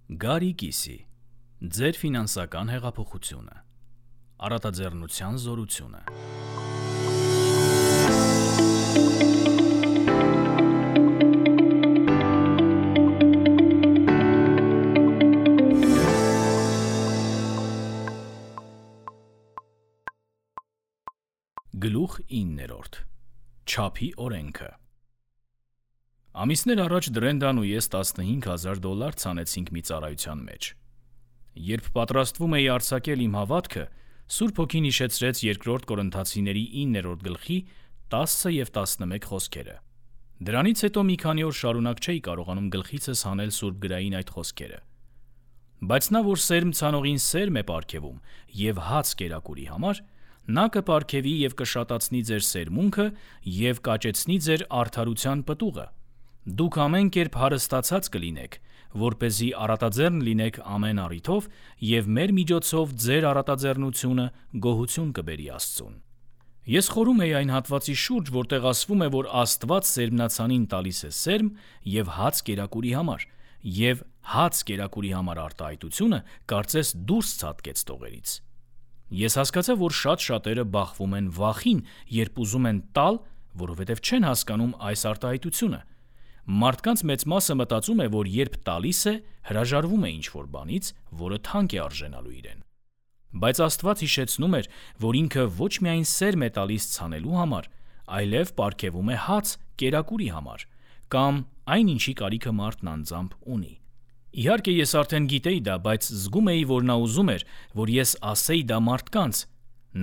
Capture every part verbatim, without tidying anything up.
Գարի կիսի, ձեր ֆինանսական հեղափոխությունը, առատաձեռնության զորությունը։ Գլուխ իններորդ. Չափի օրենքը։ Ամիսներ առաջ Դրենդան ու ես տասնհինգ հազար դոլար ցանեցինք մի ծառայության մեջ։ Երբ պատրաստվում էի արձակել իմ հավատքը, Սուրբ Հոգին հիշեցրեց երկրորդ Կորինթացիների իններորդ գլխի տասը և տասնմեկ խոսքերը։ Դրանից հետո մի քանի օր շարունակ չէի կարողանում գլխիցս հանել Սուրբ գրային այդ խոսքերը։ Բայց նա, որ սերմ ցանողին սերմ է պարգևում և հաց կերակուրի համար, նա կպարգևի և կշատացնի ձեր սերմունքը և կաճեցնի ձեր արդարության պտուղը։ Դուք ամեն կերպ հարստացած կլինեք, որպեսզի առատաձեռն լինեք ամեն առիթով և մեր միջոցով ձեր առատաձեռնությունը գոհություն կբերի Աստծուն։ Ես խորում էի այն հատվածի շուրջ, որտեղ ասվում է, որ Աստված սերմնացանին տալիս է սերմ և հաց կերակուրի համար, և հաց կերակուրի համար արտահայտությունը կարծես դուրս ցատկեց տողերից։ Ես հասկացա, որ շատ շատերը բախվում են վախին, երբ ուզում են տալ, որովհետև չեն հասկանում այս արտահայտությունը։ Մարդկանց մեծ մասը մտածում է, որ երբ տալիս է, հրաժարվում է ինչ-որ բանից, որը թանկ է արժենալու իրեն։ Բայց Աստված հիշեցնում էր, որ ինքը ոչ միայն սերմ է տալիս ցանելու համար, այլև պարգևում է հաց կերակուրի համար, կամ այն ինչի կարիքը մարդն անձամբ ունի։ Իհարկե ես արդեն գիտեի դա, բայց զգում էի, որ նա ուզում էր, որ ես ասեի դա մարդկանց։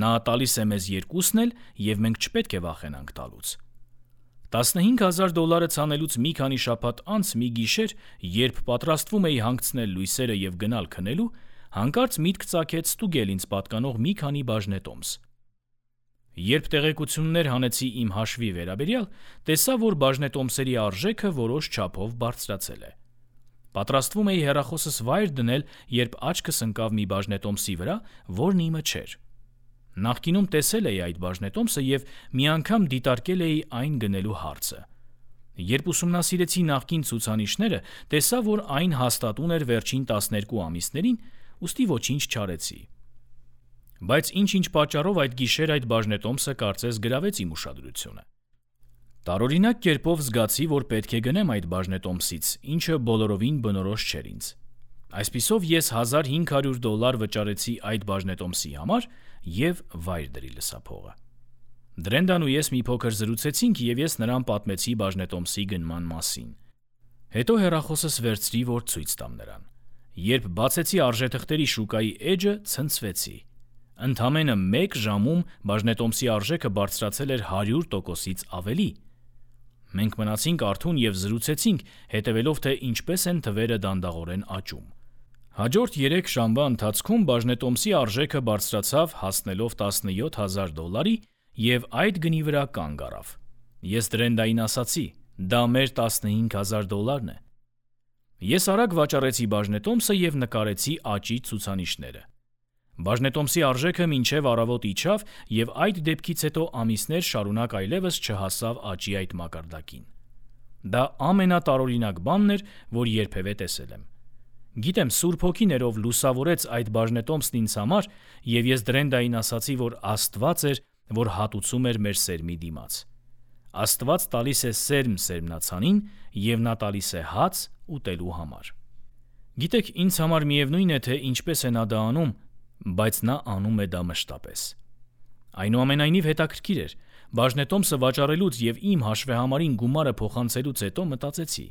Նա տալիս է մեզ երկուսն էլ, և մենք չպետք է վախենանք տալուց։ տասնհինգ հազար դոլարը ցանելուց մի քանի շաբաթ անց մի գիշեր, երբ պատրաստվում էի հանգցնել լույսերը և գնալ քնելու, հանկարծ միտք ծագեց ստուգել ինձ պատկանող մի քանի բաժնետոմս։ Երբ տեղեկություններ հանեցի իմ հաշվի վերաբերյալ, տեսա, որ բաժնետոմսերի արժեքը որոշ չափով բարձրացել է։ Պատրաստվում էի հեռախոսս վայր դնել, երբ աչքս ընկավ մի բաժնետոմսի վրա, որն իմը չէր։ Նախկինում տեսել էի այդ բաժնետոմսը և մի անգամ դիտարկել էի այն գնելու հարցը։ Երբ ուսումնասիրեցի նախկին ցուցանիշները, տեսա, որ այն հաստատուն էր վերջին տասներկու ամիսներին, ուստի ոչինչ չարեցի։ Բայց ինչ-ինչ պատճառով այդ գիշեր այդ բաժնետոմսը կարծես գրավեց իմ ուշադրությունը։ Տարօրինակ կերպով զգացի, որ պետք է գնեմ այդ բաժնետոմսից, ինչը բոլորովին բնորոշ չէր ինձ։ Այսպիսով ես հազար հինգ հարյուր դոլար վճարեցի այդ բաժնետոմսի համար և վայր դրի լսափողը։ Դրենդան ու ես մի փոքր զրուցեցինք, և ես նրան պատմեցի բաժնետոմսի գնման մասին։ Հետո հեռախոսս վերցրի, որ ցույց տամ նրան։ Երբ բացեցի արժեթղթերի շուկայի էջը, ցնցվեցի։ Ընդամենը մեկ ժամում բաժնետոմսի արժեքը բարձրացել էր հարյուր տոկոսից ավելի։ Մենք մնացինք արթուն և զրուցեցինք, հետևելով, թե ինչպես են թվերը դանդաղորեն աճում։ Հաջորդ երեք ժամվա ընթացքում բաժնետոմսի արժեքը բարձրացավ, հասնելով տասնյոթ հազար դոլարի, և այդ գնի վրա կանգ առավ։ Ես Դրենդային ասացի. դա մեր տասնհինգ հազար դոլարն է։ Ես արագ վաճառեցի բաժնետոմսը և նկարեցի աճի ցուցանիշները։ Բաժնետոմսի արժեքը մինչև առավոտ իջավ, և այդ դեպքից հետո ամիսներ շարունակ այլևս չհասավ աճի այդ մակարդակին։ Դա ամենատարօրինակ բանն էր, որ երբևէ տեսել եմ։ Գիտեմ, Սուրբ Հոգին էր, ով լուսավորեց այդ բաժնետոմսն ինձ համար, և ես Դրենդային ասացի, որ Աստված էր, որ հատուցում էր մեր սերմի դիմաց։ Աստված տալիս է սերմ սերմնացանին, և նա տալիս է հաց ուտելու համար։ Գիտեք, ինձ համար միևնույն է, թե ինչպես է նա դա անում, բայց նա անում է դա մշտապես։ Այնուամենայնիվ հետաքրքիր էր, բաժնետոմսը վաճառելուց և իմ հաշվեհամարին գումարը փոխանցելուց հետո մտածեցի.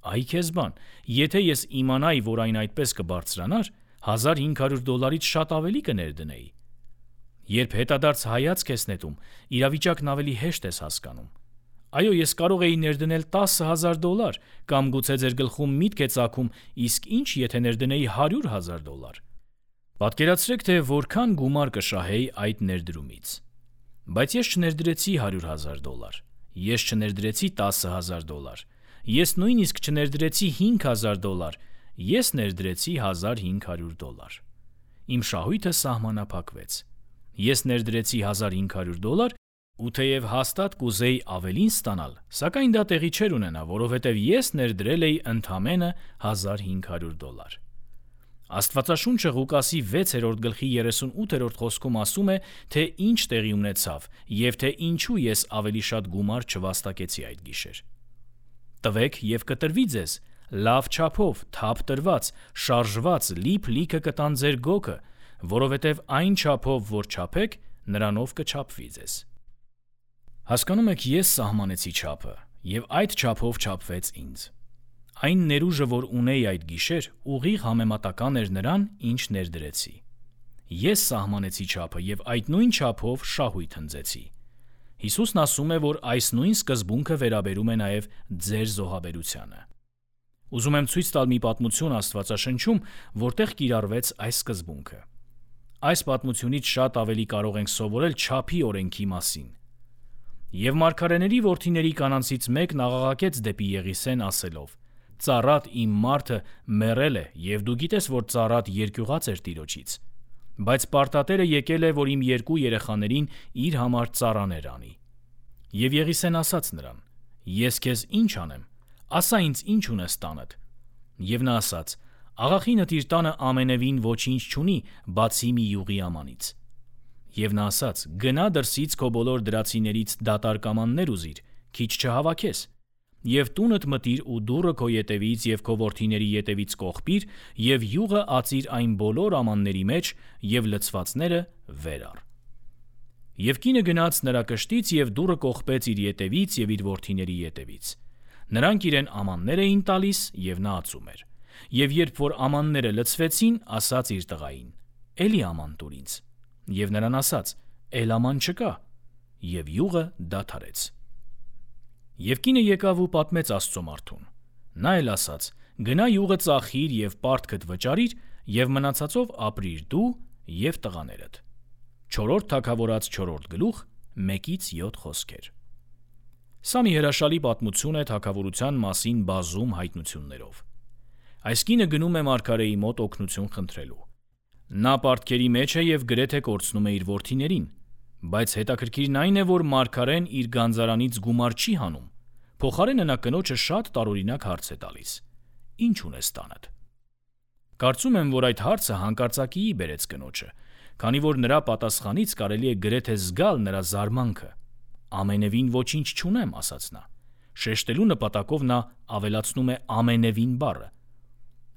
այ քեզ բան, եթե ես իմանայի, որ այն այդպես կբարձրանար, հազար հինգ հարյուր դոլարից շատ ավելի կներդնեի։ Երբ հետադարձ հայացք ես նետում, իրավիճակն ավելի հեշտ ես հասկանում։ Այո, ես կարող էի ներդնել տասը հազար դոլար, կամ գուցե ձեր գլխում միտք է ծագում, իսկ ինչ եթե ներդնեի հարյուր հազար դոլար։ Պատկերացրեք, թե որքան գումար կշահեի այդ ներդրումից։ Բայց ես չներդրեցի հարյուր հազար դոլար, ես չներդրեցի տասը հազար դոլար, ես նույնիսկ չներդրեցի հինգ հազար դոլար, ես ներդրեցի հազար հինգ հարյուր դոլար։ Իմ շահույթը սահմանափակվեց։ Ես ներդրեցի հազար հինգ հարյուր դոլար, ու թեև հաստատ կուզեի ավելին ստանալ, սակայն դա տեղի չէր ունենա, որովհետև ես ներդրել էի ընդամենը հազար հինգ հարյուր դոլար։ Աստվածաշունչը Ղուկասի վեցերորդ գլխի երեսունութերորդ խոսքում ասում է, թե ինչ տեղի ունեցավ և թե ինչու ես ավելի շատ գումար չվաստակեցի այդ գիշեր։ Տվեք և կտրվի ձեզ, լավ չափով, թափ տրված, շարժված, լիփ լիքը կտան ձեր գոգը, որովհետև այն չափով, որ չափեք, նրանով կչափվի ձեզ։ Հասկանում եք, ես սահմանեցի չափը, և այդ չափով չափվեց ինձ։ Այն ներուժը, որ ունեի այդ գիշեր, ուղիղ համեմատական էր նրան, ինչ ներդրեցի։ Ես սահմանեցի չափը և այդ նույն չափով շահույթ հնձեցի։ Հիսուսն ասում է, որ այս նույն սկզբունքը վերաբերում է նաև ձեր զոհաբերությանը։ Ուզում եմ ցույց տալ մի պատմություն Աստվածաշնչում, որտեղ կիրառվեց այս սկզբունքը։ Այս պատմությունից շատ ավելի կարող ենք սովորել չափի օրենքի մասին։ Եվ մարգարեների որդիների կանանցից մեկն աղաղակեց դեպի Եղիսեն ասելով. «Ծառատ իմ մարդը մեռել է, և դու գիտես, որ ծառատ երկյուղած էր տիրոջից, բայց պարտատերը եկել է, որ իմ երկու երեխաներին իր համար ծառաներ անի»։ Եվ Եղիսեն ասաց նրան. «Ես քեզ ինչ անեմ, ասա ինձ ինչ ունես տանդ»։ Եվ նա ասաց. «Աղախինդ իր տանը ամենևին ոչինչ չունի, բացի մի յուղի ամանից»։ Եվ նա ասաց. «Գնա դրսից քո բոլոր դրացիներից դատարկ ամաններ ուզիր, քիչ չհավաքես, և տունդ մտիր ու դուռը քո ետևից և քո որդիների ետևից կողպիր, և յուղը ածիր այն բոլոր ամանների մեջ, և լցվածները վեր առ»։ Եվ կինը գնաց նրա կշտից և դուռը կողպեց իր ետևից և իր որդիների ետևից։ Նրանք իրեն ամաններ էին տալիս, և նա ածում էր։ Եվ երբ որ ամանները լցվեցին, ասաց իր տղային. «Էլի աման տուր ինձ»։ Եվ նրան ասաց. «Էլ աման չկա»։ Եվ յուղը դադարեց։ Եվ կինը եկավ ու պատմեց Աստծո մարդուն։ Նա էլ ասաց. «Գնա յուղը ծախիր և պարտքդ վճարիր, և մնացածով ապրիր դու և տղաներդ»։ Չորրորդ թագավորաց չորրորդ գլուխ մեկից յոթ խոսքեր։ Սա մի հրաշալի պատմություն է թագավորության մասին բազում հայտնություններով։ Այս կինը գնում է մարգարեի մոտ օգնություն խնդրելու։ Նա պարտքերի մեջ է և գրեթե կորցնում է իր որդիներին, բայց հետաքրքիրն այն է, որ մարգարեն իր գանձարանից գումար չի հանում, փոխարենը նա կնոջը շատ տարօրինակ հարց է տալիս. «Ինչ ունես տանդ»։ Կարծում եմ, որ այդ հարցը հանկարծակիի բերեց կնոջը, քանի որ նրա պատասխանից կարելի է գրեթե զգալ նրա զարմանքը։ «Ամենևին ոչինչ չունեմ», ասաց նա։ Շեշտելու նպատակով նա ավելացնում է ամենևին բառը։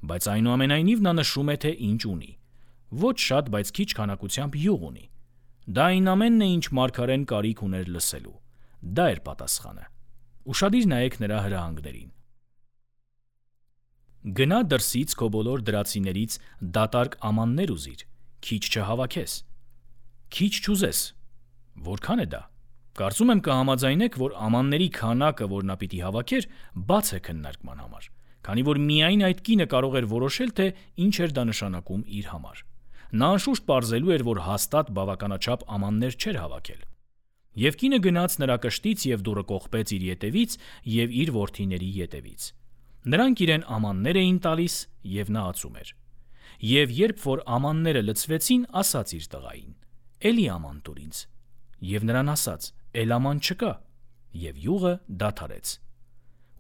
Բայց այնուամենայնիվ նա նշում է, թե ինչ ունի։ Ոչ շատ, բայց քիչ քանակությամբ յուղ ունի։ Դա այն ամենն է, ինչ մարգարեն կարիք ուներ լսելու։ Դա էր պատասխանը։ Ուշադիր նայեք նրա հրահանգներին։ Գնա դրսից քո բոլոր դրացիներից դատարկ ամաններ ուզիր, քիչ չհավաքես։ Քիչ չուզես։ Որքան է դա։ Կարծում եմ կհամաձայնեք, որ ամանների քանակը, որ նա պիտի հավաքեր, բաց է քննարկման համար, քանի որ միայն այդ կինը կարող էր որոշել, թե ինչ էր դա նշանակում իր համար։ Նա անշուշտ պարզելու էր, որ հաստատ բավականաչափ ամաններ չէր հավաքել։ Եվ կինը գնաց նրա կշտից և դուռը կողպեց իր ետևից և իր որդիների ետևից։ Նրանք իրեն ամաններ էին տալիս, և նա ածում էր։ Եվ երբ որ ամանները լցվեցին, ասաց իր տղային. «Էլի աման տուր ինձ»։ Եվ նրան ասաց. «Էլ աման չկա»։ Եվ յուղը դադարեց։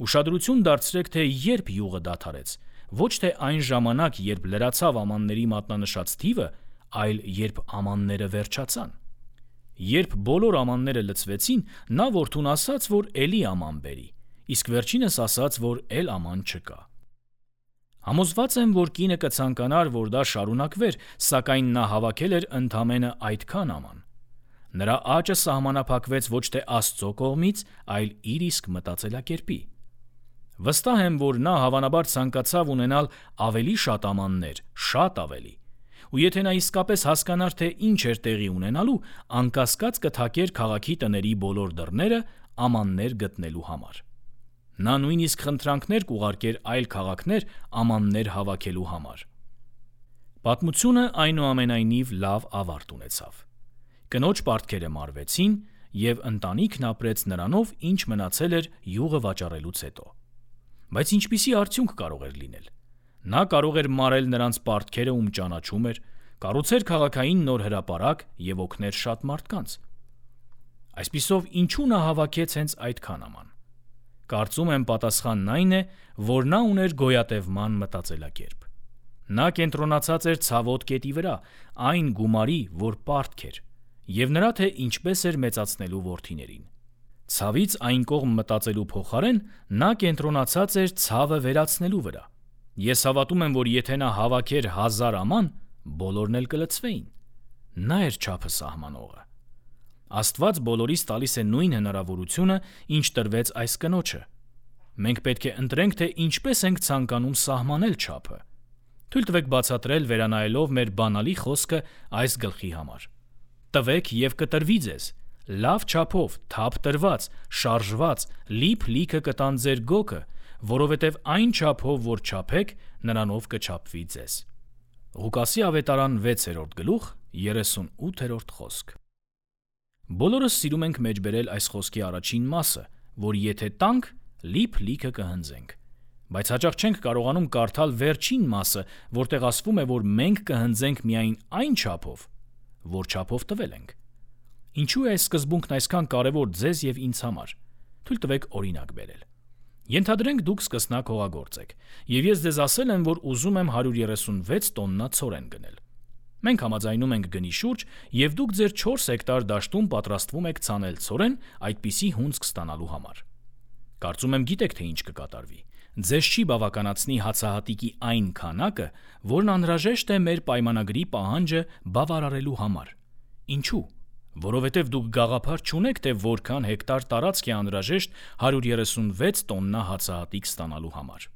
Ուշադրություն դարձրեք, թե երբ յուղը դադարեց, ոչ թե այն ժամանակ, երբ լրացավ ամանների մատնանշած թիվը, այլ երբ ամանները վերջացան։ Երբ բոլոր ամանները լցվեցին, նա որդուն ասաց, որ էլի աման բերի, իսկ վերջինս ասաց, որ էլ աման չկա։ Համոզված եմ, որ կինը կցանկանար, որ դա շարունակվեր, սակայն նա հավաքել էր ընդամենը այդքան աման։ Նրա աճը սահմանափակվեց ոչ թե Աստծո կողմից, այլ իր իսկ մտածելակերպի։ Վստահ եմ, որ նա հավանաբար ցանկացավ ունենալ ավելի շատ ամաններ, շատ ավելի։ Ու եթե նա իսկապես հասկանար, թե ինչ էր տեղի ունենալու, անկասկած կթակեր քաղաքի տների բոլոր դռները ամաններ գտնելու համար։ Նա նույնիսկ խնդրանքներ կուղարկեր այլ քաղաքներ ամաններ հավաքելու համար։ Պատմությունը այնուամենայնիվ լավ ավարտ ունեցավ։ Կնոջ պարտքերը մարվեցին, և ընտանիքն ապրեց նրանով, ինչ մնացել էր յուղը վաճառելուց հետո։ Բայց ինչպիսի արդյունք կարող էր լինել։ Նա կարող էր մարել նրանց պարտքերը, ում ճանաչում էր, կառուցեր քաղաքային նոր հրապարակ և օգներ շատ մարդկանց։ Այսպիսով, ինչու նա հավաքեց հենց այդքան աման։ Կարծում եմ պատասխանն այն է, որ նա ուներ գոյատևման մտածելակերպ։ Նա կենտրոնացած էր ցավոտ կետի վրա, այն գումարի, որ պարտք էր, եւ նրա թե ինչպես էր մեծացնելու որդիներին։ Ցավից այն կողմ մտածելու փոխարեն նա կենտրոնացած էր ցավը վերացնելու վրա։ Ես հավատում եմ, որ եթե նա հավաքեր հազար աման, բոլորն էլ կլցվեին։ Նա էր չափը սահմանողը։ Աստված բոլորիս տալիս է նույն հնարավորությունը, ինչ տրվեց այս կնոջը։ Մենք պետք է ընտրենք, թե ինչպես ենք ցանկանում սահմանել չափը։ Թույլ տվեք բացատրել վերանայելով մեր բանալի խոսքը այս գլխի համար։ Տվեք եւ կտրվի ձեզ, լավ չափով, թափ տրված, շարժված, լիփ լիքը կտան ձեր գոգը, որովհետև այն չափով, որ չափեք, նրանով կչափվի ձեզ։ Ղուկասի ավետարան վեցերորդ գլուխ երեսունութերորդ խոսք։ Բոլորս սիրում ենք մեջբերել այս խոսքի առաջին մասը, որ եթե տանք, լիփ լիքը կհնձենք, բայց հաճախ չենք կարողանում կարդալ վերջին մասը, որտեղ ասվում է, որ մենք կհնձենք միայն այն չափով, որ չափով տվել ենք։ Ինչու է այս սկզբունքն այսքան կարևոր ձեզ եւ ինձ համար։ Թույլ տվեք օրինակ բերել։ Ենթադրենք դուք սկսնակ հողագործ եք, եւ ես ձեզ ասել եմ, որ ուզում եմ հարյուր երեսունվեց տոննա ցորեն գնել։ Մենք համաձայնում ենք գնի շուրջ, եւ դուք ձեր չորս հեկտար դաշտում պատրաստվում եք ցանել ցորեն այդպիսի հունձք ստանալու համար։ Կարծում եմ գիտեք, թե ինչ կկատարվի։ Ձեզ չի բավականացնի հացահատիկի այն քանակը, որն անհրաժեշտ է մեր պայմանագրի պահանջը բավարարելու համար։ Ինչու՞։ Որովհետև դուք գաղափար չունեք, թե որքան հեկտար տարածք է անհրաժեշտ հարյուր երեսունվեց տոննա հացահատիկ ստանալու համար։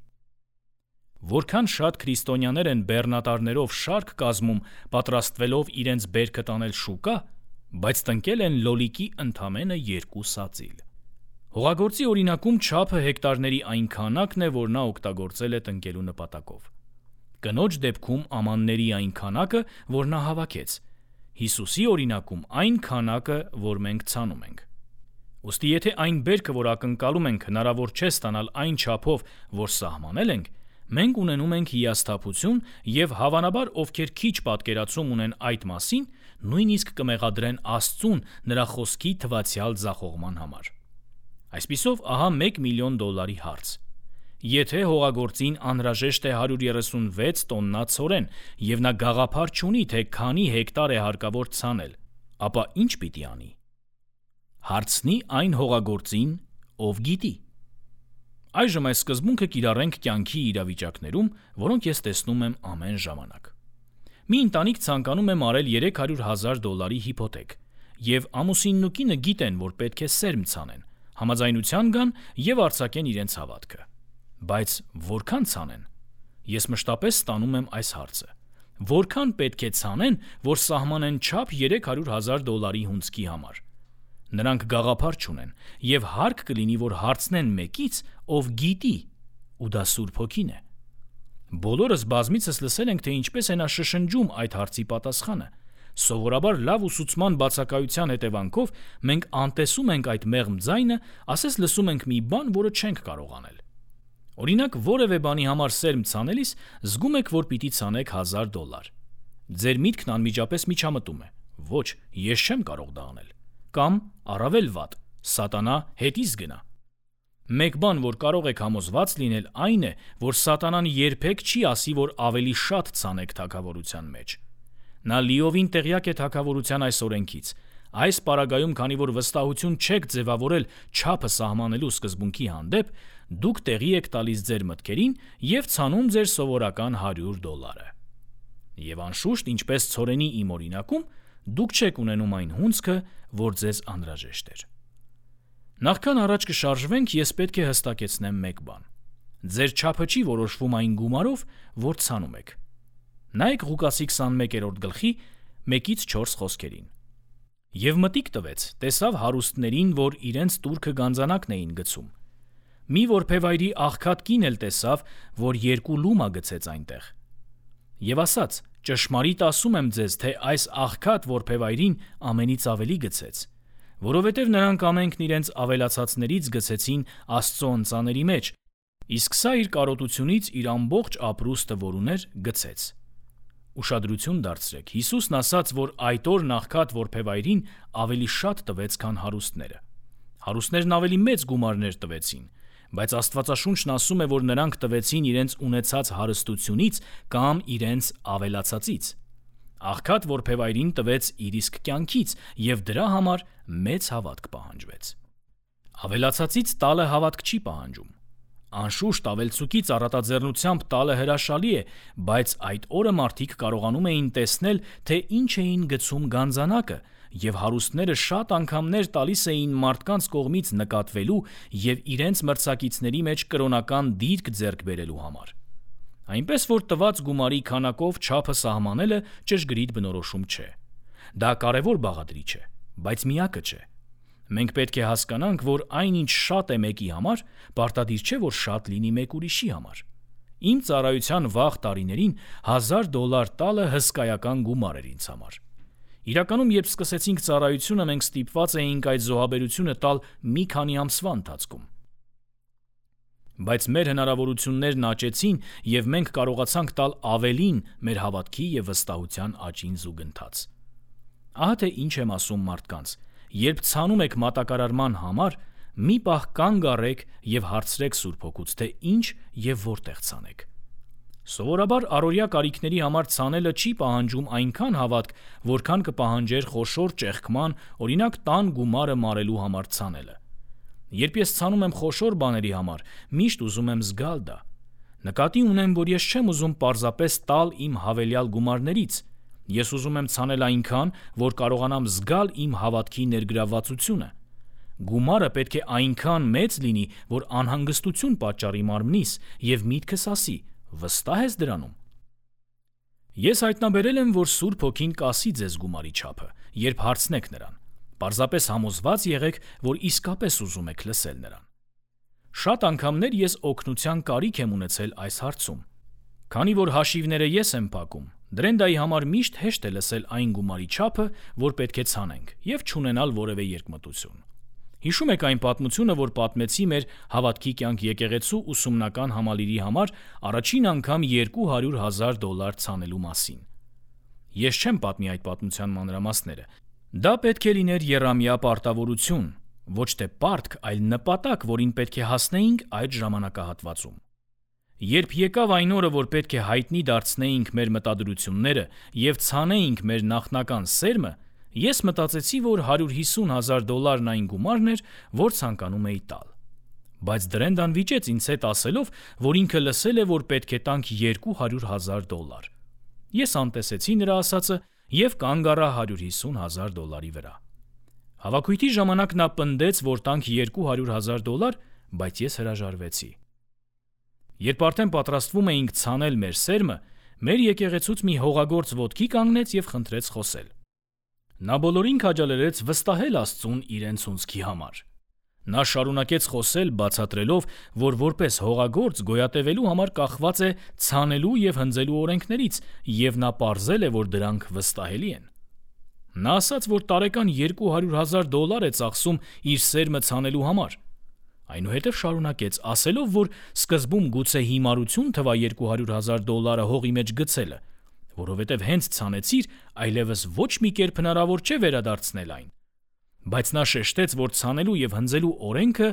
Որքան շատ քրիստոնյաներ են բեռնատարներով շարք կազմում, պատրաստվելով իրենց բերքը տանել շուկա, բայց տնկել են լոլիկի ընդամենը երկու սածիլ։ Հողագործի օրինակում չափը հեկտարների այն քանակն է, որ նա օգտագործել է տնկելու նպատակով։ Կնոջ դեպքում ամանների այն քանակը, որ նա հավաքեց։ Հիսուսի օրինակում այն քանակը, որ մենք ցանում ենք։ Ուստի եթե այն բերքը, որ ակնկալում ենք, հնարավոր չէ ստանալ այն չափով, որ սահմանել ենք, մենք ունենում ենք հիասթափություն եւ հավանաբար ովքեր քիչ պատկերացում ունեն այդ մասին, նույնիսկ կմեղադրեն Աստծուն նրա խոսքի թվացial ձախողման համար։ Այսպիսով, ահա մեկ միլիոն դոլարի հարց։ Եթե հողագործին անհրաժեշտ է հարյուր երեսունվեց տոննա ցորեն եւ նա գաղափար չունի, թե քանի հեկտար է հարկավոր ցանել, ապա ինչ պիտի անի։ Հարցնի այն հողագործին, ով գիտի։ Այժմ այս սկզբունքը կիրառենք կյանքի իրավիճակներում, որոնք ես տեսնում եմ ամեն ժամանակ։ Մի ընտանիք ցանկանում է մարել երեք հարյուր հազար դոլարի հիփոթեք, եւ ամուսինն ու կինը գիտեն, որ պետք է սերմ ցանեն, համաձայնության գան եւ արձակեն իրենց հավատքը։ Բայց որքան ցանեն։ Ես մշտապես ստանում եմ այս հարցը. որքան պետք է ցանեն, որ սահմանեն չափ երեք հարյուր հազար դոլարի հունձքի համար։ Նրանք գաղափար չունեն եւ հարկ կլինի, որ հարցնեն մեկից, ով գիտի, ու դա Սուրբ Հոգին է։ Բոլորս բազմիցս լսել ենք, թե ինչպես է նա շշնջում այդ հարցի պատասխանը։ Սովորաբար լավ ուսուցման բացակայության հետևանքով մենք անտեսում ենք այդ մեղմ ձայնը, ասես լսում ենք մի բան, որը չենք կարող անել։ Օրինակ, որևէ բանի համար սերմ ցանելիս զգում եք, որ պիտի ցանեք հազար դոլար։ Ձեր միտքն անմիջապես միջամտում է. ոչ, ես չեմ կարող դա անել։ Կամ առավել վատ, սատանա հետից գնա։ Մեկ բան, որ կարող եք համոզված լինել, այն է, որ սատանան երբեք չի ասի, որ ավելի շատ ցանեք թագավորության մեջ։ Նա լիովին տեղյակ է թագավորության այս օրենքից։ Այս պարագայում, քանի որ վստահություն չեք ձևավորել չափը սահմանելու սկզբունքի հանդեպ, դուք տեղի եք տալիս ձեր մտքերին եւ ցանում ձեր սովորական հարյուր դոլարը։ Եվ անշուշտ, ինչպես ցորենի իմ օրինակում, դուք չեք ունենում այն հունձքը, որ ձեզ անհրաժեշտ էր։ Նախքան առաջ կշարժվենք, ես պետք է հստակեցնեմ մեկ բան։ Ձեր չափը չի որոշվում այն գումարով, որ ցանում եք։ Նայեք Ղուկասի քսանմեկերորդ գլխի մեկից չորս խոսքերին։ Եվ մտիկ տվեց, տեսավ հարուստներին, որ իրենց տուրքը գանձանակն էին գցում։ Մի որբևայրի աղքատ կին էլ տեսավ, որ երկու լումա գցեց այնտեղ։ Եվ ասաց. ճշմարիտ ասում եմ ձեզ, թե այս աղքատ որբևայրին ամենից ավելի գցեց, որովհետև նրանք ամենքն իրենց ավելացածներից գցեցին Աստծո ընծաների մեջ, իսկ սա իր կարոտությունից իր ամբողջ ապրուստը, որ ուներ, գցեց։ Ուշադրություն դարձրեք, Հիսուսն ասաց, որ այդ օր աղքատ որբևայրին ավելի շատ տվեց, քան հարուստները։ Հարուստներն ավելի մեծ գումարներ տվեցին, Բայց Աստվածաշունչն ասում է, որ նրանք տվեցին իրենց ունեցած հարստությունից կամ իրենց ավելացածից։ Աղքատ որբևայրին տվեց իր իսկ կյանքից, և դրա համար մեծ հավատք պահանջվեց։ Ավելացածից տալը հավատք չի պահանջում։ Անշուշտ ավելցուկից առատաձեռնությամբ տալը հրաշալի է, բայց այդ օրը մարդիկ կարողանում էին տեսնել, թե ինչ էին գցում գանձանակը, և հարուստները շատ անգամներ տալիս էին մարդկանց կողմից նկատվելու և իրենց մրցակիցների մեջ կրոնական դիրք ձեռք բերելու համար։ Այնպես որ տված գումարի քանակով չափը սահմանելը ճշգրիտ բնորոշում չէ։ Դա կարևոր բաղադրիչ է, բայց միակը չէ։ Մենք պետք է հասկանանք, որ այնինչ շատ է մեկի համար, պարտադիր չէ, որ շատ լինի մեկ ուրիշի համար։ Իմ ծառայության վաղ տարիներին հազար դոլար տալը հսկայական գումար էր ինձ համար։ Իրականում, երբ սկսեցինք ծառայությունը, մենք ստիպված էինք այդ զոհաբերությունը տալ մի քանի ամսվա ընթացքում։ Բայց մեր հնարավորություններն աճեցին, և մենք կարողացանք տալ ավելին մեր հավատքի և վստահության աճին զուգընթաց։ Ահա թե ինչ եմ ասում մարդկանց. երբ ցանում եք մատակարարման համար, մի պահ կանգ առեք և հարցրեք Սուրբ Հոգուց, թե ինչ և որտեղ ցանեք։ Սովորաբար առօրյա կարիքների համար ցանելը չի պահանջում այնքան հավատք, որքան կպահանջեր խոշոր ճեղքման, օրինակ տան գումարը մարելու համար ցանելը։ Երբ ես ցանում եմ խոշոր բաների համար, միշտ ուզում եմ զգալ դա։ Նկատի ունեմ, որ ես չեմ ուզում պարզապես տալ իմ հավելյալ գումարներից։ Ես ուզում եմ ցանել այնքան, որ կարողանամ զգալ իմ հավատքի ներգրավվածությունը։ Գումարը պետք է այնքան մեծ լինի, որ անհանգստություն պատճառի մարմնիս, և միտքս ասի. վստահ ես դրանում։ Ես հայտնաբերել եմ, որ Սուրբ Հոգին կասի ձեզ գումարի չափը, երբ հարցնեք նրան։ Պարզապես համոզված եղեք, որ իսկապես ուզում եք լսել նրան։ Շատ անգամներ ես օգնության կարիք եմ ունեցել այս հարցում։ Քանի որ հաշիվները ես եմ փակում, Դրենդայի համար միշտ հեշտ է լսել այն գումարի չափը, որ պետք է ցանենք, և չունենալ որևէ երկմտություն։ Հիշում եք այն պատմությունը, որ պատմեցի մեր հավատքի կյանք եկեղեցու ուսումնական համալիրի համար առաջին անգամ երկու հարյուր հազար դոլար ցանելու մասին։ Ես չեմ պատմի այդ պատմության մանրամասները։ Դա պետք է լիներ եռամյա պարտավորություն, ոչ թե պարտք, այլ նպատակ, որին պետք է հասնեինք այդ ժամանակահատվածում։ Երբ եկավ այն օրը, որ պետք է հայտնի դարձնեինք մեր մտադրությունները և ցանեինք մեր նախնական սերմը, ես մտածեցի, որ հարյուր հիսուն հազար դոլարն այն գումարն էր, որ ցանկանում էի տալ։ Բայց Դրենդան վիճեց ինձ հետ ասելով, որ ինքը լսել է, որ պետք է տանք երկու հարյուր հազար դոլար։ Ես անտեսեցի նրա ասածը և կանգ առա հարյուր հիսուն հազար դոլարի վրա։ Հավաքույթի ժամանակ նա պնդեց, որ տանք երկու հարյուր հազար դոլար, բայց ես հրաժարվեցի։ Երբ արդեն պատրաստվում էինք ցանել մեր սերմը, մեր եկեղեցուց մի հողագործ ոտքի կանգնեց և խնդրեց խոսել։ Նա բոլորին քաջալերեց վստահել Աստծուն իրենց ունցքի համար։ Նա շարունակեց խոսել, բացատրելով, որ որպես հողագործ գոյատևելու համար կախված է ցանելու և հնձելու օրենքներից, և նա պարզել է, որ դրանք վստահելի են։ Նա ասաց, որ տարեկան երկու հարյուր հազար դոլար է ծախսում իր սերմը ցանելու համար։ Այնուհետև շարունակեց, ասելով, որ սկզբում գուցե հիմարություն թվա երկու հարյուր հազար դոլարը հողի մեջ գցելը, որովհետև հենց ցանեցիր, այլևս ոչ մի կերպ հնարավոր չէ վերադարձնել այն։ Բայց նա շեշտեց, որ ցանելու և հնձելու օրենքը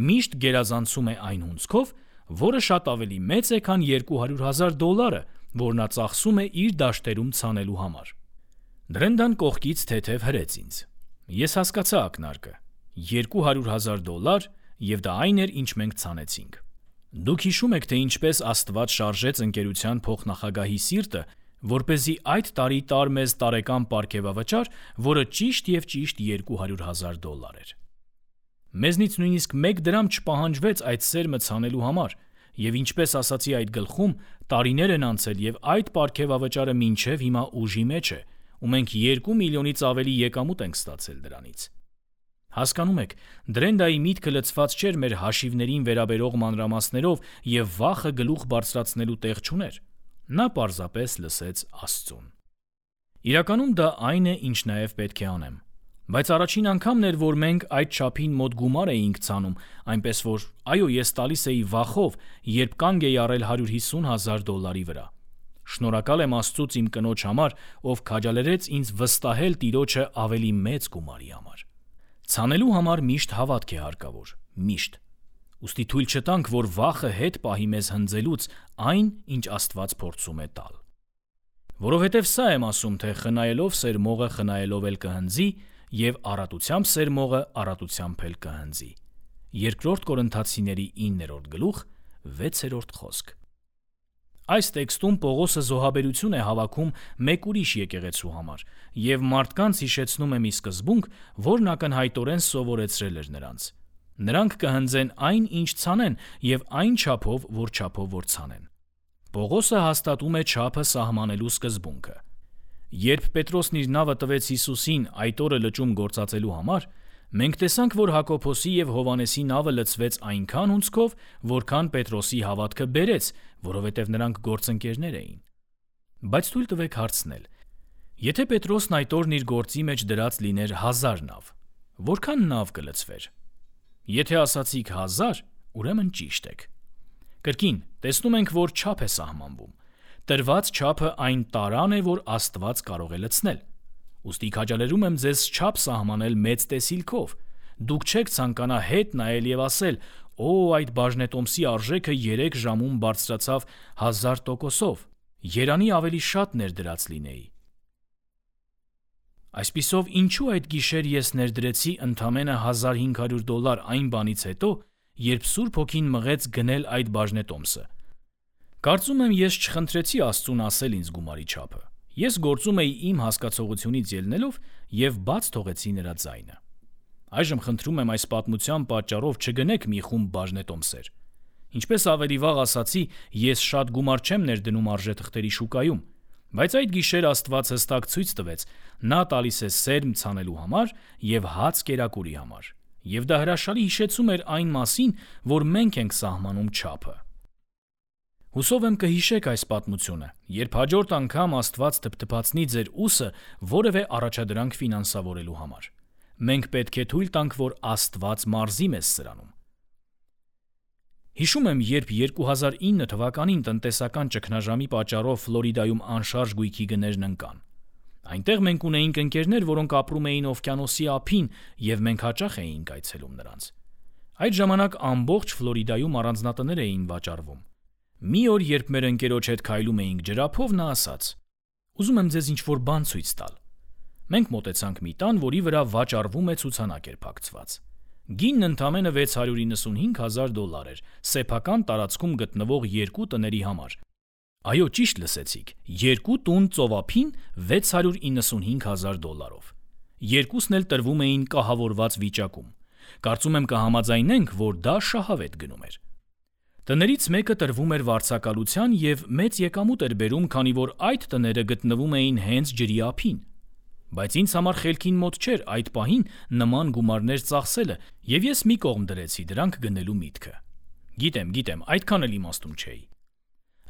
միշտ գերազանցում է այն հունձքով, որը շատ ավելի մեծ է, քան երկու հարյուր հազար դոլարը, որ նա ծախսում է իր դաշտերում ցանելու համար։ Դրենդան կողքից թեթև հրեց ինձ։ Ես հասկացա ակնարկը։ երկու հարյուր հազար դոլար, և դա այն էր, ինչ մենք ցանեցինք։ Դուք հիշում եք, թե ինչպես Աստված շարժեց ընկերության փոխնախագահի սիրտը, որպեսզի այդ տարի տար մեզ տարեկան պարգևավճար, որը ճիշտ և ճիշտ երկու հարյուր հազար դոլար էր։ Մեզնից նույնիսկ մեկ դրամ չպահանջվեց այդ սերմը ցանելու համար, և ինչպես ասացի այդ գլխում, տարիներ են անցել, և այդ պարգևավճարը մինչև հիմա ուժի մեջ է, ու մենք երկու միլիոնից ավելի եկամուտ ենք ստացել դրանից։ Հասկանում եք, Դրենդայի միտքը լցված չէր մեր հաշիվներին վերաբերող մանրամասներով և վախը գլուխ բարձրացնելու տեղ չուներ։ Նա պարզապես լսեց Աստծուն։ Իրականում դա այն է, ինչ նաև պետք է անեմ։ Բայց առաջին անգամն էր, որ մենք այդ չափին մոտ գումար էինք ցանում, այնպես որ, այո, ես տալիս էի վախով, երբ կանգ էի առել հարյուր հիսուն հազար դոլարի վրա։ Շնորհակալ եմ Աստծուց իմ կնոջ համար, ով քաջալերեց ինձ վստահել Տիրոջը ավելի մեծ գումարի համար։ Ցանելու համար միշտ հավատք է հարկավոր, միշտ։ Ուստի թույլ չտանք, որ վախը հետ պահի մեզ հնձելուց այն, ինչ Աստված փորձում է տալ։ Որովհետև սա եմ ասում, թե խնայելով սերմողը խնայելով էլ կհնձի, և առատությամբ սերմողը առատությամբ էլ կհնձի։ Երկրորդ Կորինթացիների իններորդ գլուխ վեցերորդ խոսք։ Այս տեքստում Պողոսը զոհաբերություն է հավաքում մեկ ուրիշ եկեղեցու համար և մարդկանց հիշեցնում է մի սկզբունք, որն ակնհայտորեն սովորեցրել էր նրանց։ Նրանք կհնձեն այն, ինչ ցանեն, և այն չափով, որ չափով որ ցանեն։ Պողոսը հաստատում է չափը սահմանելու սկզբունքը։ Երբ Պետրոսն իր նավը տվեց Հիսուսին այդ օրը լճում գործածելու համար, մենք տեսանք, որ Հակոբոսի և Հովհաննեսի նավը լցվեց այնքան հունձքով, որքան Պետրոսի հավատքը բերեց, որովհետև նրանք գործընկերներ էին։ Բայց թույլ տվեք հարցնել. եթե Պետրոսն այդ օրն իր գործի մեջ դրած լիներ հազար նավ, որքան նավ կլցվեր։ Եթե ասացիք հազար, ուրեմն ճիշտ եք։ Կրկին, տեսնում ենք, որ չափ է սահմանվում։ Տրված չափը այն տարան է, որ Աստված կարող է լցնել։ Ուստի քաջալերում եմ ձեզ չափ սահմանել մեծ տեսիլքով։ Դուք չեք ցանկանա հետ նայել և ասել. «Օ, այդ բաժնետոմսի արժեքը երեք ժամում բարձրացավ հազար տոկոսով, երանի ավելի շատ ներդրած լինեի»։ Այսպիսով, ինչու այդ գիշեր ես ներդրեցի ընդամենը հազար հինգ հարյուր դոլար այն բանից հետո, երբ Սուրբ Հոգին մղեց գնել այդ բաժնետոմսը։ Կարծում եմ, ես չխնդրեցի Աստծուն ասել ինձ գումարի չափը։ Ես գործում էի իմ հասկացողությունից ելնելով և բաց թողեցի նրա ձայնը։ Այժմ խնդրում եմ այս պատմության պատճառով չգնեք մի խումբ բաժնետոմսեր։ Ինչպես ավելի վաղ ասացի, ես շատ գումար չեմ ներդնում արժեթղթերի շուկայում, բայց այդ գիշեր Աստված հստակ ցույց տվեց. նա տալիս է սերմ ցանելու համար և հաց կերակուրի համար, և դա հրաշալի հիշեցում էր այն մասին, որ մենք ենք սահմանում չափը։ Հուսով եմ կհիշեք այս պատմությունը, երբ հաջորդ անգամ Աստված թփթփացնի ձեր ուսը որևէ առաջադրանք ֆինանսավորելու համար։ Մենք պետք է թույլ տանք, որ Աստված մարզի մեզ սրանում։ Հիշում եմ, երբ երկու հազար ինը թվականին տնտեսական ճգնաժամի պատճառով Ֆլորիդայում անշարժ գույքի գներն ընկան։ Այնտեղ մենք ունեինք ընկերներ, որոնք ապրում էին օվկիանոսի ափին, և մենք հաճախ էինք այցելում նրանց։ Այդ ժամանակ ամբողջ Ֆլորիդայում առանձնատներ էին վաճառվում։ Մի օր, երբ մեր ընկերոջ հետ քայլում էինք ջրափով, նա ասաց. «Ուզում եմ ձեզ ինչ-որ բան ցույց տալ»։ Մենք մոտեցանք մի տան, որի վրա վաճառվում է ցուցանակ էր փակցված։ Գինն ընդամենը վեց հարյուր իննսունհինգ հազար դոլար էր սեփական տարածքում գտնվող երկու տների համար։ Այո, ճիշտ լսեցիք, երկու տուն ծովափին վեց հարյուր իննսունհինգ հազար դոլարով։ Երկուսն էլ տրվում էին կահավորված վիճակում։ Կարծում եմ կհամաձայնենք, որ դա շահավետ գնում էր։ Տներից մեկը տրվում էր վարձակալության և մեծ եկամուտ էր բերում, քանի որ այդ տները գտնվում էին հենց ջրի ափին։ Բայց ինձ համար խելքին մոտ չէր այդ պահին նման գումարներ ծախսելը, և ես մի կողմ դրեցի դրանք գնելու միտքը։ Գիտեմ, գիտեմ, այդքան էլ իմաստուն չէի։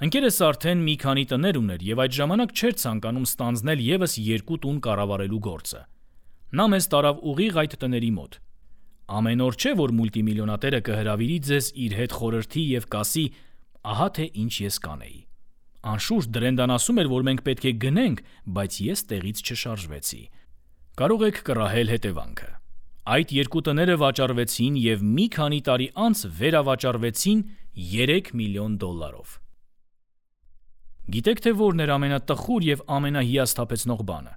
Ընկերս արդեն մի քանի տներ ուներ և այդ ժամանակ չէր ցանկանում ստանձնել ևս երկու տուն կառավարելու գործը։ Նա մեզ տարավ ուղիղ այդ տների մոտ։ Ամեն օր չէ, որ մուլտիմիլիոնատերը կհրավիրի ձեզ իր հետ խորհրդի և կասի. «Ահա թե ինչ ես կանեի»։ Անշուշտ Դրենդան ասում էր, որ մենք պետք է գնենք, բայց ես տեղից չշարժվեցի։ Կարող եք կռահել հետևանքը։ Այդ երկու տները վաճառվեցին և մի քանի տարի անց վերավաճառվեցին երեք միլիոն դոլարով։ Գիտեք թե որն էր ամենատխուր և ամենահիասթափեցնող բանը։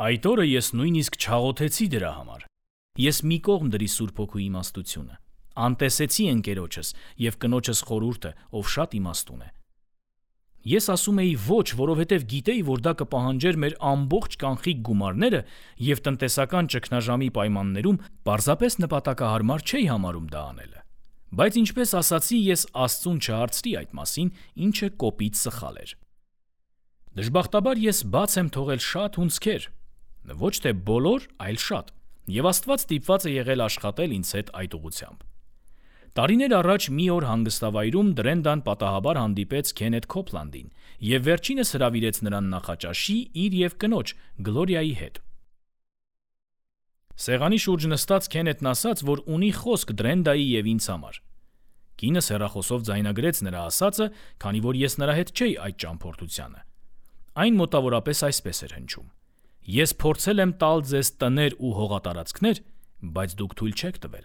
Այդ օրը ես նույնիսկ չաղոթեցի դրա համար։ Ես մի կողմ դրի Սուրբ Հոգու իմաստությունը, անտեսեցի ընկերոջս և կնոջս խորհուրդը, ով շատ իմաստուն է։ Ես ասում էի ոչ, որովհետև գիտեի, որ դա կպահանջեր մեր ամբողջ կանխիկ գումարները և տնտեսական ճգնաժամի պայմաններում պարզապես նպատակահարմար չէի համարում դա անելը։ Բայց ինչպես ասացի, ես Աստծուն չհարցրի այդ մասին, ինչը կոպիտ սխալ էր։ Դժբախտաբար ես բաց եմ թողել շատ հունձքեր, ոչ թե բոլոր, այլ շատ, և Աստված ստիպված է եղել աշխատել ինձ հետ այդ ուղղությամբ։ Տարիներ առաջ մի օր հանգստավայրում Դրենդան պատահաբար հանդիպեց Քենեթ Քոփլանդին և վերջինս հրավիրեց նրան նախաճաշի իր և կնոջ Գլորիայի հետ։ Սեղանի շուրջ նստած Քենեթն ասաց, որ ունի խոսք Դրենդայի և ինձ համար։ Կինս հեռախոսով ձայնագրեց նրա ասածը, քանի որ ես նրա հետ չէի այդ ճամփորդությանը։ Այն մոտավորապես այսպես էր հնչում. «Ես փորձել եմ տալ ձեզ տներ ու հողատարածքներ, բայց դուք թույլ չեք տվել»։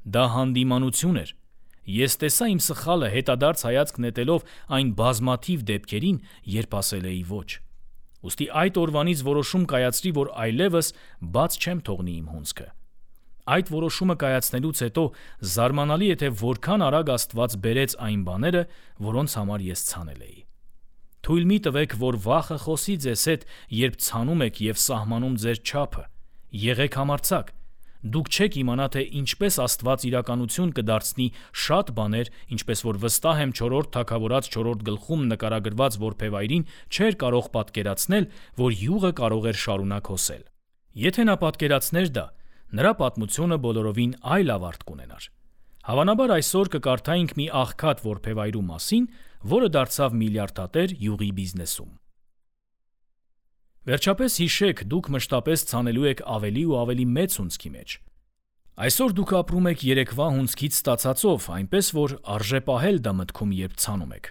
Դա հանդիմանություն էր, Ես տեսա իմ սխալը հետադարձ հայացք նետելով այն բազմաթիվ դեպքերին, երբ ասել էի ոչ։ Ուստի այդ օրվանից որոշում կայացրի, որ այլևս բաց չեմ թողնի իմ հունձքը։ Այդ որոշումը կայացնելուց հետո զարմանալի է, թե որքան արագ Աստված բերեց այն բաները, որոնց համար ես ցանել էի։ Թույլ մի տվեք, որ վախը խոսի ձեզ հետ, երբ ցանում եք և սահմանում ձեր չափը։ Եղեք համարձակ։ Դուք չեք իմանա, թե ինչպես Աստված իրականություն կդարձնի շատ բաներ, ինչպես որ վստահ եմ չորրորդ թագավորաց չորրորդ գլխում նկարագրված որբևայրին չէր կարող պատկերացնել, որ յուղը կարող էր շարունակ հոսել։ Եթե նա պատկերացներ դա, նրա պատմությունը բոլորովին այլ ավարտ կունենար։ Հավանաբար այսօր կկարդայինք մի աղքատ որբևայրու մասին, որը դարձավ միլիարդատեր յուղի բիզնեսում։ Վերջապես հիշեք, դուք մշտապես ցանելու եք ավելի ու ավելի մեծ հունձքի մեջ։ Այսօր դուք ապրում եք երեկվա հունձքից ստացածով, այնպես որ արժե պահել դա մտքում, երբ ցանում եք։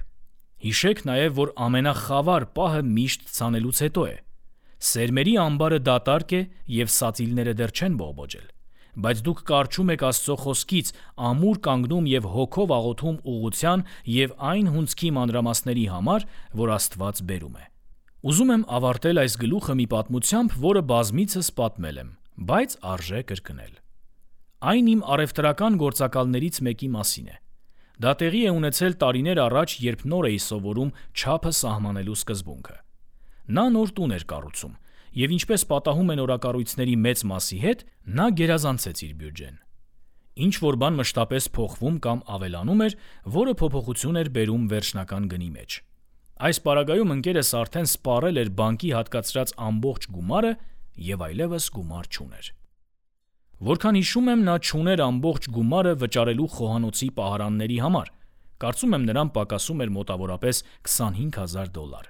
Հիշեք նաև, որ ամենախավար պահը միշտ ցանելուց հետո է։ Սերմերի ամբարը դատարկ է և սածիլները դեռ չեն բողբոջել, բայց դուք կառչում եք Աստծո խոսքից, ամուր կանգնում և հոգով աղոթում ուղղության և այն հունձքի մանրամասների համար, որ Աստված բերում է։ Ուզում եմ ավարտել այս գլուխը մի պատմությամբ, որը բազմիցս պատմել եմ, բայց արժե կրկնել։ Այն իմ առևտրական գործակալներից մեկի մասին է։ Դա տեղի է ունեցել տարիներ առաջ, երբ նոր էի սովորում չափը սահմանելու սկզբունքը։ Նա նոր տուն էր կառուցում, և ինչպես պատահում է նորակառույցների մեծ մասի հետ, նա գերազանցեց իր բյուջեն։ Ինչ-որ բան մշտապես փոխվում կամ ավելանում էր, որը փոփոխություն էր բերում վերջնական գնի մեջ։ Այս պարագայում ընկերս արդեն սպառել էր բանկի հատկացրած ամբողջ գումարը և այլևս գումար չուներ։ Որքան հիշում եմ, նա չուներ ամբողջ գումարը վճարելու խոհանոցի պահարանների համար, կարծում եմ նրան պակասում էր մոտավորապես քսանհինգ հազար դոլար։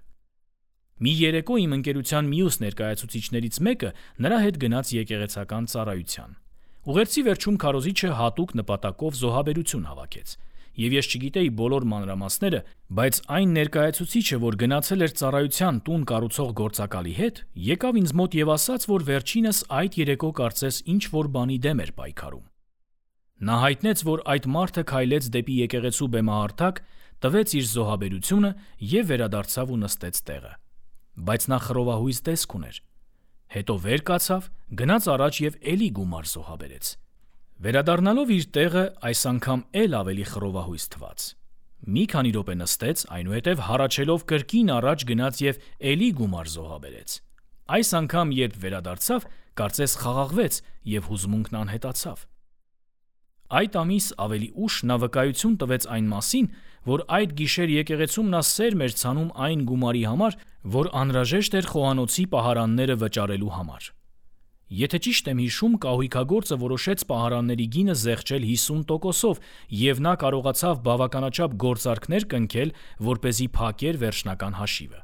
Մի երեկո իմ ընկերության մյուս ներկայացուցիչներից մեկը նրա հետ գնաց եկեղեցական ծառայության։ Ուղերձի վերջում քարոզիչը հատուկ նպատակով զոհաբերություն հավաքեց, և ես չգիտեի բոլոր մանրամասները, բայց այն ներկայացուցիչը, որ գնացել էր ծառայության տուն կառուցող գործակալի հետ, եկավ ինձ մոտ և ասաց, որ վերջինս այդ երեկո կարծես ինչ-որ բանի դեմ էր պայքարում։ Նա հայտնեց, որ այդ մարդը քայլեց դեպի եկեղեցու բեմահարթակ, տվեց իր զոհաբերությունը և վերադարձավ ու նստեց տեղը։ Բայց նա խռովահույս տեսք ուներ։ Հետո վեր կացավ, գնաց առաջ և էլի գումար զոհաբերեց։ Վերադառնալով իր տեղը, այս անգամ էլ ավելի խռովահույս թվաց։ Մի քանի րոպե նստեց, այնուհետև հառաչելով կրկին առաջ գնաց և էլի գումար զոհաբերեց։ Այս անգամ, երբ վերադարձավ, կարծես խաղաղվեց և հուզմունքն անհետացավ։ Այդ ամիս ավելի ուշ նա վկայություն տվեց այն մասին, որ այդ գիշեր եկեղեցում նա սերմ էր ցանում այն գումարի համար, որ անհրաժեշտ էր խոհանոցի պահարանները վճարելու համար։ Եթե ճիշտ եմ հիշում, կահույքագործը որոշեց պահարանների գինը զեղչել հիսուն տոկոսով, և նա կարողացավ բավականաչափ գործարքներ կնքել, որպեսզի փակեր վերջնական հաշիվը։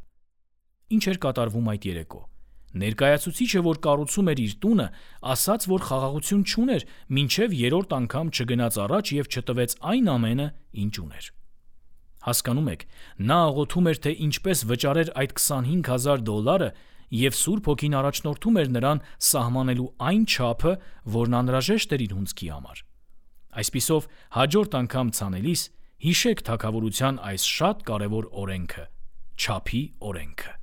Ինչ էր կատարվում այդ երեկո։ Ներկայացուցիչը, որ կառուցում էր իր տունը, ասաց, որ խաղաղություն չուներ, մինչև երրորդ անգամ չգնաց առաջ և չտվեց այն ամենը, ինչ ուներ։ Հասկանում եք, նա աղոթում էր, թե ինչպես վճարեր այդ քսանհինգ հազար դոլարը, և Սուրբ Հոգին առաջնորդում էր նրան սահմանելու այն չափը, որն անհրաժեշտ էր իր հունձքի համար։ Այսպիսով, հաջորդ անգամ ցանելիս հիշեք թագավորության այս շատ կարևոր օրենքը՝ չափի օրենքը։